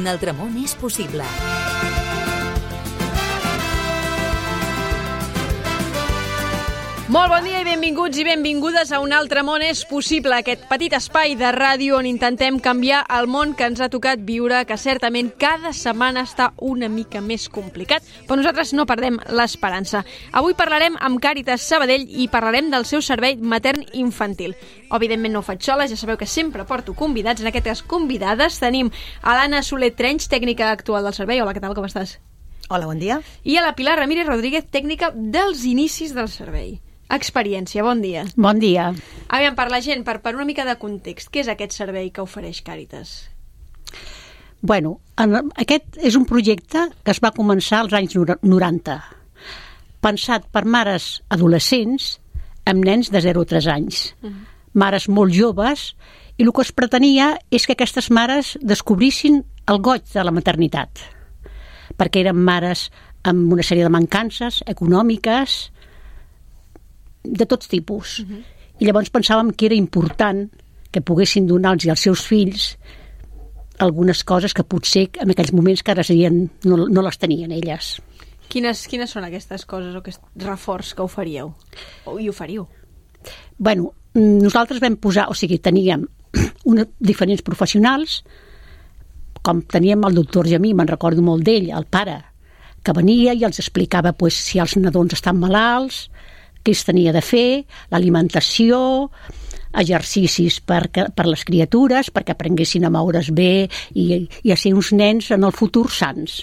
Un altre món és possible. Molt bon dia i benvinguts i benvingudes a Un altre món és possible, aquest petit espai de ràdio on intentem canviar el món que ens ha tocat viure, que certament cada setmana està una mica més complicat, però nosaltres no perdem l'esperança. Avui parlarem amb Càritas Sabadell i parlarem del seu servei matern-infantil. Evidentment no ho faig sola, ja sabeu que sempre porto convidats. En aquestes convidades tenim a l'Anna Soler Trench, tècnica actual del servei. Hola, què tal, com estàs? Hola, bon dia. I a la Pilar Ramírez Rodríguez, tècnica dels inicis del servei. Experiència, bon dia. Bon dia. Aviam, per la gent, per una mica de context, què és aquest servei que ofereix Càritas? Bueno, aquest és un projecte que es va començar als anys 90, pensat per mares adolescents amb nens de 0 a 3 anys, mares molt joves, i el que es pretenia és que aquestes mares descobrissin el goig de la maternitat, perquè eren mares amb una sèrie de mancances econòmiques, de tots tipus. I llavors pensàvem que era important que poguessin donar-los als seus fills algunes coses que potser en aquells moments que ara serien, no les tenien elles. Quines són aquestes coses o aquest reforç que oferíeu? I oferiu? Bueno, nosaltres vam posar, teníem diferents professionals, com teníem el doctor Jamí, me'n recordo molt d'ell, el pare, que venia i els explicava si els nadons estan malalts, què es tenia de fer, l'alimentació, exercicis per les criatures, perquè aprenguessin a moure's bé i a ser uns nens en el futur sans.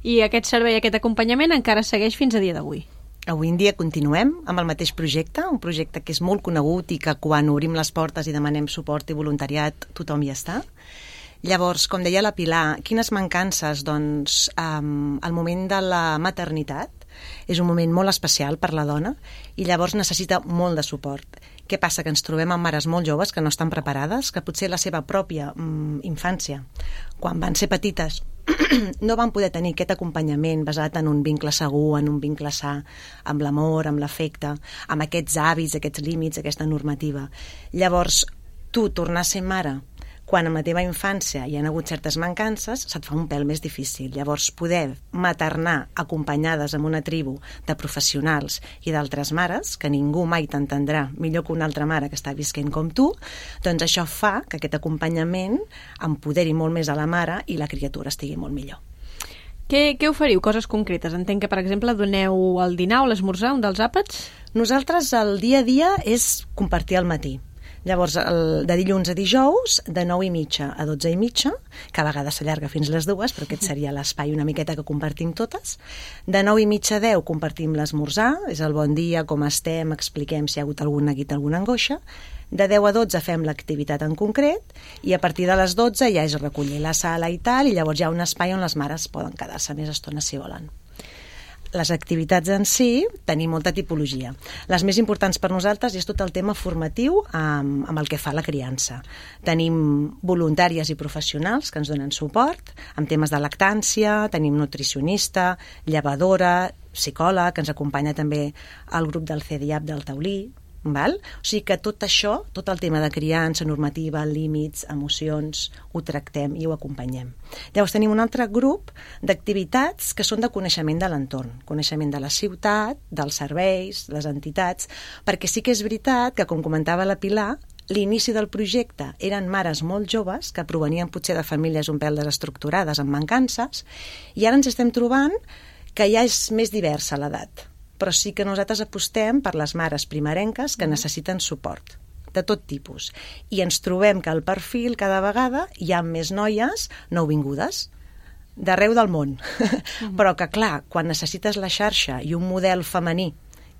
I aquest servei, aquest acompanyament encara segueix fins a dia d'avui? Avui en dia continuem amb el mateix projecte, un projecte que és molt conegut i que quan obrim les portes i demanem suport i voluntariat tothom hi està. Llavors, com deia la Pilar, quines mancances? Doncs el moment de la maternitat és un moment molt especial per la dona i llavors necessita molt de suport. Què passa? Que ens trobem amb mares molt joves que no estan preparades, que potser la seva pròpia infància, quan van ser petites, no van poder tenir aquest acompanyament basat en un vincle segur, en un vincle sa, amb l'amor, amb l'afecte, amb aquests hàbits, aquests límits, aquesta normativa. Llavors, tu tornar a ser mare quan en la teva infància hi ha hagut certes mancances, se't fa un pèl més difícil. Llavors, poder maternar acompanyades amb una tribu de professionals i d'altres mares, que ningú mai t'entendrà millor que una altra mare que està visquent com tu, doncs això fa que aquest acompanyament empoderi molt més a la mare i la criatura estigui molt millor. Què oferiu? Coses concretes. Entenc que, per exemple, doneu el dinar o l'esmorzar, un dels àpats? Nosaltres el dia a dia és compartir al matí. Llavors, de dilluns a dijous, de 9:30 a 12:30, que a vegades s'allarga fins les 2, però aquest seria l'espai una miqueta que compartim totes. De 9:30 a 10 compartim l'esmorzar, és el bon dia, com estem, expliquem si hi ha hagut algun neguit, alguna angoixa. De 10 a 12 fem l'activitat en concret i a partir de les 12 ja és recollir la sala i tal, i llavors hi ha un espai on les mares poden quedar-se més estona si volen. Les activitats en si tenim molta tipologia. Les més importants per nosaltres és tot el tema formatiu amb el que fa la criança. Tenim voluntàries i professionals que ens donen suport amb temes de lactància, tenim nutricionista, llevadora, psicòleg, que ens acompanya també el grup del CEDIAP del Taulí. Val? O sigui que tot això, tot el tema de criança, normativa, límits, emocions, ho tractem i ho acompanyem. Llavors tenim un altre grup d'activitats que són de coneixement de l'entorn, coneixement de la ciutat, dels serveis, les entitats, perquè sí que és veritat que, com comentava la Pilar, l'inici del projecte eren mares molt joves que provenien potser de famílies un pèl desestructurades amb mancances i ara ens estem trobant que ja és més diversa l'edat. Però sí que nosaltres apostem per les mares primerenques que necessiten suport de tot tipus. I ens trobem que al perfil cada vegada hi ha més noies nouvingudes d'arreu del món. Però que, clar, quan necessites la xarxa i un model femení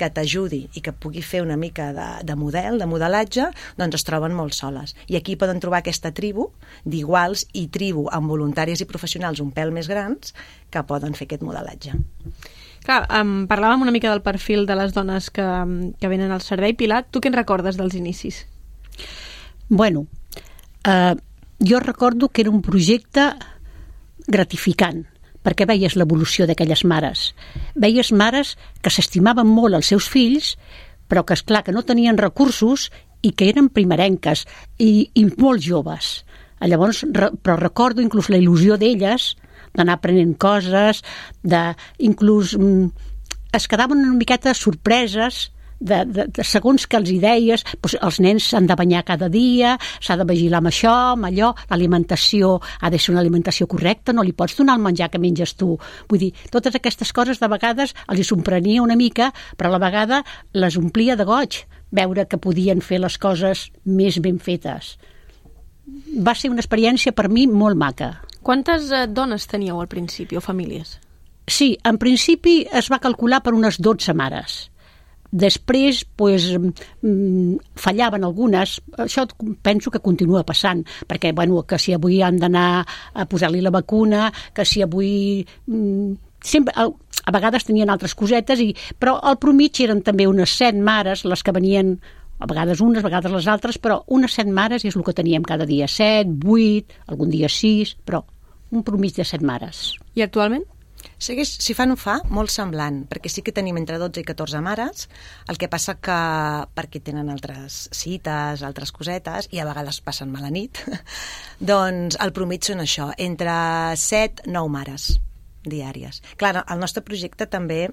que t'ajudi i que pugui fer una mica de model, de modelatge, doncs es troben molt soles. I aquí poden trobar aquesta tribu d'iguals i tribu amb voluntaris i professionals un pèl més grans que poden fer aquest modelatge. Clar, parlàvem una mica del perfil de les dones que venen al servei. Pilar, tu què en recordes dels inicis? Bueno, jo recordo que era un projecte gratificant, perquè veies l'evolució d'aquelles mares. Veies mares que s'estimaven molt els seus fills, però que, esclar, que no tenien recursos i que eren primerenques i molt joves. Llavors, però recordo inclús la il·lusió d'elles d'anar aprenent coses, inclús es quedaven una miqueta sorpreses de segons que els deies, doncs els nens s'han de banyar cada dia, s'ha de vigilar amb això, amb allò, l'alimentació ha de ser una alimentació correcta, no li pots donar el menjar que menges tu. Vull dir, totes aquestes coses de vegades els sorprenia una mica, però a la vegada les omplia de goig, veure que podien fer les coses més ben fetes. Va ser una experiència per mi molt maca. Quantes dones teníeu al principi o famílies? Sí, en principi es va calcular per unes 12 mares. Després, fallaven algunes. Això penso que continua passant, perquè, que si avui han d'anar a posar-li la vacuna, que si avui... sempre, a vegades tenien altres cosetes, però al promig eren també unes 7 mares les que venien, a vegades unes, a vegades les altres, però unes 7 mares és el que teníem cada dia, 7, 8, algun dia 6, però un promig de 7 mares. I actualment? Segueix, si fa no fa, molt semblant, perquè sí que tenim entre 12 i 14 mares, el que passa que perquè tenen altres cites, altres cosetes, i a vegades passen mala nit, doncs el promig són això, entre 7 9 mares diàries. Clar, el nostre projecte també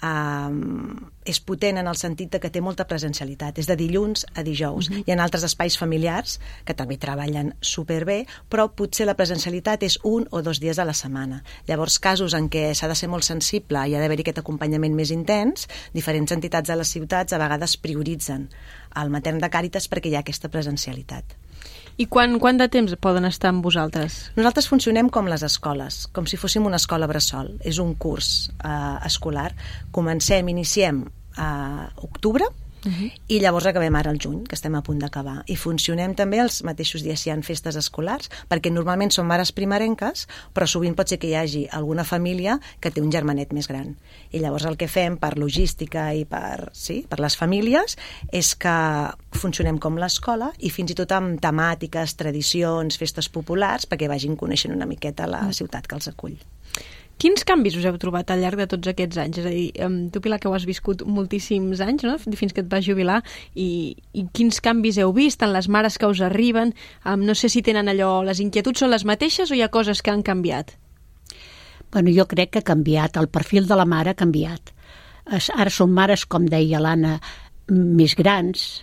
és potent en el sentit que té molta presencialitat, és de dilluns a dijous. Hi ha altres espais familiars que també treballen superbé, però potser la presencialitat és 1 o 2 dies a la setmana. Llavors, casos en què s'ha de ser molt sensible i ha d'haver-hi aquest acompanyament més intens, diferents entitats de les ciutats a vegades prioritzen el matern de Càritas perquè hi ha aquesta presencialitat. I quant de temps poden estar amb vosaltres? Nosaltres funcionem com les escoles, com si fóssim una escola bressol. És un curs escolar. Iniciem a octubre i llavors acabem ara al juny, que estem a punt d'acabar. I funcionem també els mateixos dies si hi ha festes escolars, perquè normalment són mares primerenques, però sovint pot ser que hi hagi alguna família que té un germanet més gran. I llavors el que fem per logística i per les famílies és que funcionem com l'escola i fins i tot amb temàtiques, tradicions, festes populars, perquè vagin coneixent una miqueta la ciutat que els acull. Quins canvis us heu trobat al llarg de tots aquests anys? És a dir, tu, Pilar, que ho has viscut moltíssims anys, no? Fins que et vas jubilar, i quins canvis heu vist en les mares que us arriben? No sé si tenen allò, les inquietuds són les mateixes o hi ha coses que han canviat? Jo crec que ha canviat, el perfil de la mare ha canviat. Ara són mares, com deia l'Anna, més grans,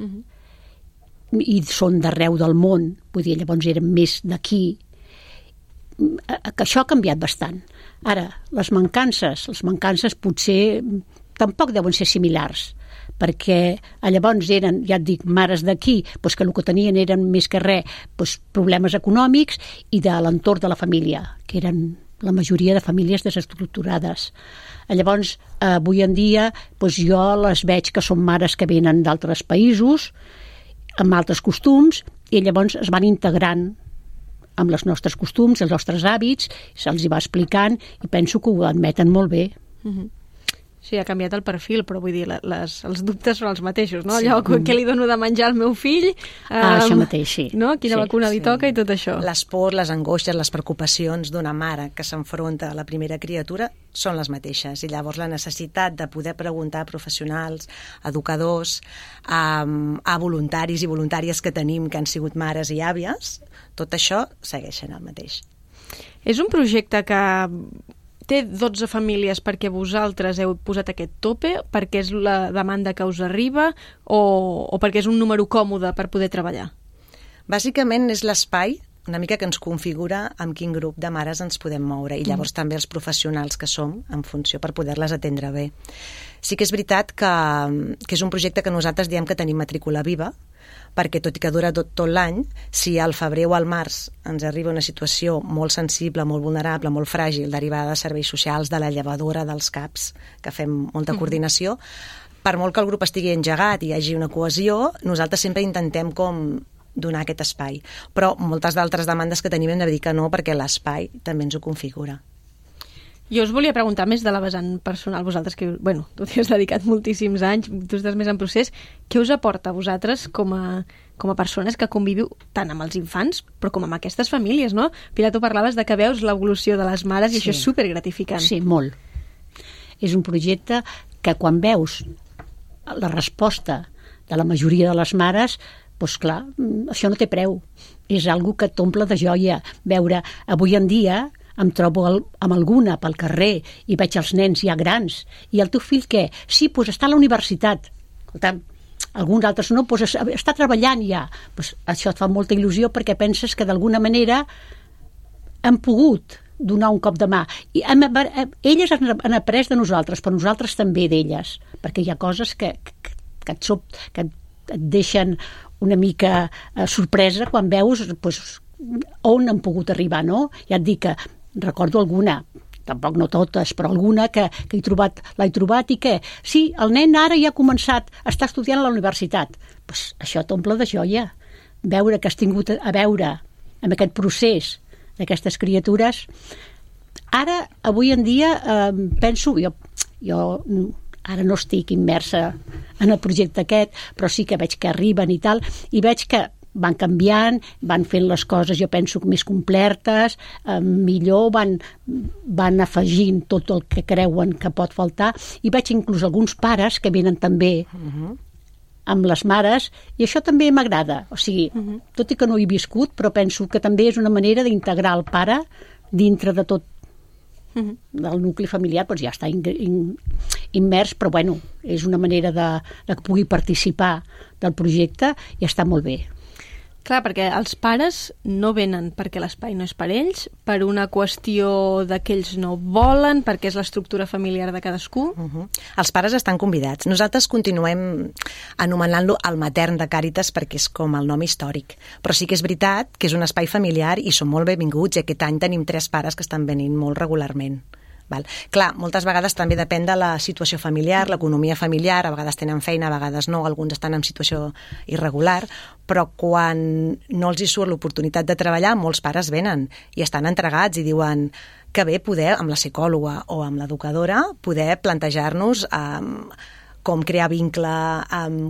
i són d'arreu del món, vull dir, llavors eren més d'aquí, que això ha canviat bastant. Ara, les mancances potser tampoc deuen ser similars, perquè llavors eren, ja et dic, mares d'aquí, que el que tenien eren més que res problemes econòmics i de l'entorn de la família, que eren la majoria de famílies desestructurades. Llavors, avui en dia, jo les veig que són mares que venen d'altres països, amb altres costums, i llavors es van integrant amb els nostres costums, els nostres hàbits, se'ls hi va explicant i penso que ho admeten molt bé. Sí, ha canviat el perfil, però vull dir, els dubtes són els mateixos, no? Allò, què li dono de menjar al meu fill? Això mateix, sí. No? Quina vacuna li toca i tot això. Les pors, les angoixes, les preocupacions d'una mare que s'enfronta a la primera criatura són les mateixes, i llavors la necessitat de poder preguntar a professionals, a educadors, a voluntaris i voluntàries que tenim que han sigut mares i àvies, tot això segueix sent el mateix. És un projecte que té 12 famílies perquè vosaltres heu posat aquest tope, perquè és la demanda que us arriba o perquè és un número còmode per poder treballar? Bàsicament és l'espai una mica que ens configura amb quin grup de mares ens podem moure, i llavors també els professionals que som en funció per poder-les atendre bé. Sí que és veritat que és un projecte que nosaltres diem que tenim matrícula viva, perquè tot i que dura tot l'any, si al febrer o al març ens arriba una situació molt sensible, molt vulnerable, molt fràgil, derivada de serveis socials, de la llevadora, dels CAPs, que fem molta coordinació, per molt que el grup estigui engegat i hi hagi una cohesió, nosaltres sempre intentem com donar aquest espai. Però moltes d'altres demandes que tenim hem de dir que no, perquè l'espai també ens ho configura. Jo us volia preguntar més de la vessant personal, vosaltres que, tu t'hi has dedicat moltíssims anys, tu estàs més en procés, què us aporta a vosaltres com a persones que conviviu tant amb els infants, però com amb aquestes famílies, no? Pilar, tu parlaves de que veus l'evolució de les mares i això és supergratificant. Sí, molt. És un projecte que quan veus la resposta de la majoria de les mares, doncs clar, això no té preu. És algo que t'omple de joia. Veure, avui en dia em trobo amb alguna pel carrer i veig els nens ja grans. I el teu fill què? Sí, doncs està a la universitat. Escolta, alguns altres no, doncs està treballant ja. Doncs això et fa molta il·lusió perquè penses que d'alguna manera hem pogut donar un cop de mà. I elles han après de nosaltres, però nosaltres també d'elles, perquè hi ha coses que et deixen una mica sorpresa quan veus doncs, on han pogut arribar, no? Ja et dic que recordo alguna, tampoc no totes, però alguna que l'he trobat i que sí, el nen ara ja ha començat, està estudiant a la universitat. Pues això t'omple de joia. Veure que has tingut a veure amb aquest procés d'aquestes criatures. Ara, avui en dia, penso, jo ara no estic immersa en el projecte aquest, però sí que veig que arriben i tal, i veig que van canviant, van fent les coses, jo penso, més completes, millor, van afegint tot el que creuen que pot faltar, i veig inclús alguns pares que venen també amb les mares, i això també m'agrada. O sigui, tot i que no hi he viscut, però penso que també és una manera d'integrar el pare dintre de tot del nucli familiar, doncs ja està immers, però bueno, és una manera de que pugui participar del projecte i està molt bé. Clar, perquè els pares no venen perquè l'espai no és per ells, per una qüestió de que ells no volen, perquè és l'estructura familiar de cadascú. Els pares estan convidats. Nosaltres continuem anomenant-lo el matern de Càritas perquè és com el nom històric. Però sí que és veritat que és un espai familiar i són molt benvinguts, i aquest any tenim 3 pares que estan venint molt regularment. Val. Clar, moltes vegades també depèn de la situació familiar, l'economia familiar, a vegades tenen feina, a vegades no, alguns estan en situació irregular, però quan no els hi surt l'oportunitat de treballar, molts pares venen i estan entregats i diuen que bé poder, amb la psicòloga o amb l'educadora, poder plantejar-nos com crear vincle,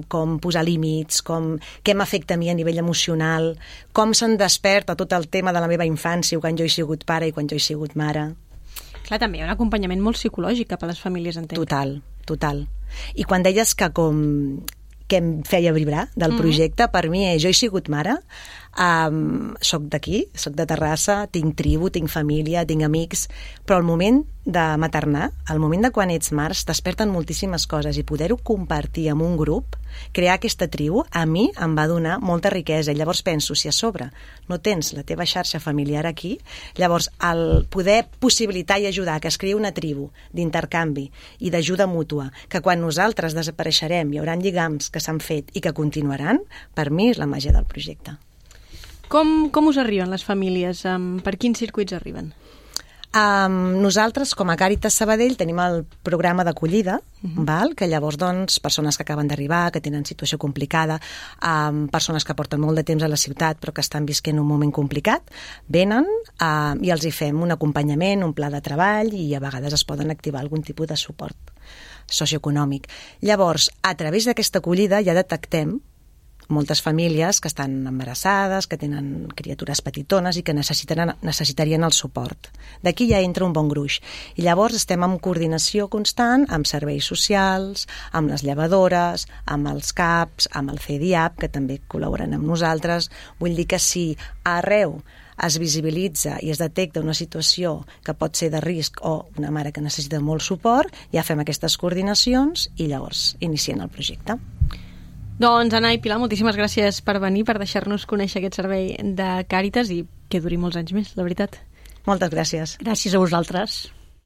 com posar límits, què m'afecta a mi a nivell emocional, com se'n desperta tot el tema de la meva infància quan jo he sigut pare i quan jo he sigut mare. Clar, també hi ha un acompanyament molt psicològic cap a les famílies, entenc. Total. I quan deies que em feia vibrar del projecte, per mi jo he sigut mare, soc d'aquí, soc de Terrassa, tinc tribu, tinc família, tinc amics, però el moment de maternar, el moment de quan ets mare, desperten moltíssimes coses i poder-ho compartir amb un grup, crear aquesta tribu, a mi em va donar molta riquesa. I llavors penso, si a sobre no tens la teva xarxa familiar aquí, llavors el poder possibilitar i ajudar que es creï una tribu d'intercanvi i d'ajuda mútua, que quan nosaltres desapareixerem hi haurà lligams que s'han fet i que continuaran, per mi és la màgia del projecte. Com us arriben les famílies? Per quins circuits arriben? Nosaltres, com a Càritas Sabadell, tenim el programa d'acollida, que llavors, doncs, persones que acaben d'arribar, que tenen situació complicada, persones que porten molt de temps a la ciutat però que estan visquent un moment complicat, venen i els hi fem un acompanyament, un pla de treball, i a vegades es poden activar algun tipus de suport socioeconòmic. Llavors, a través d'aquesta acollida ja detectem moltes famílies que estan embarassades, que tenen criatures petitones i que necessitarien el suport. D'aquí ja entra un bon gruix. I llavors estem en coordinació constant amb serveis socials, amb les llevadores, amb els CAPs, amb el CEDIAP, que també col·laboren amb nosaltres. Vull dir que si arreu es visibilitza i es detecta una situació que pot ser de risc o una mare que necessita molt suport, ja fem aquestes coordinacions i llavors iniciem el projecte. Doncs, Anna i Pilar, moltíssimes gràcies per venir, per deixar-nos conèixer aquest servei de Càritas i que duri molts anys més, la veritat. Moltes gràcies. Gràcies a vosaltres.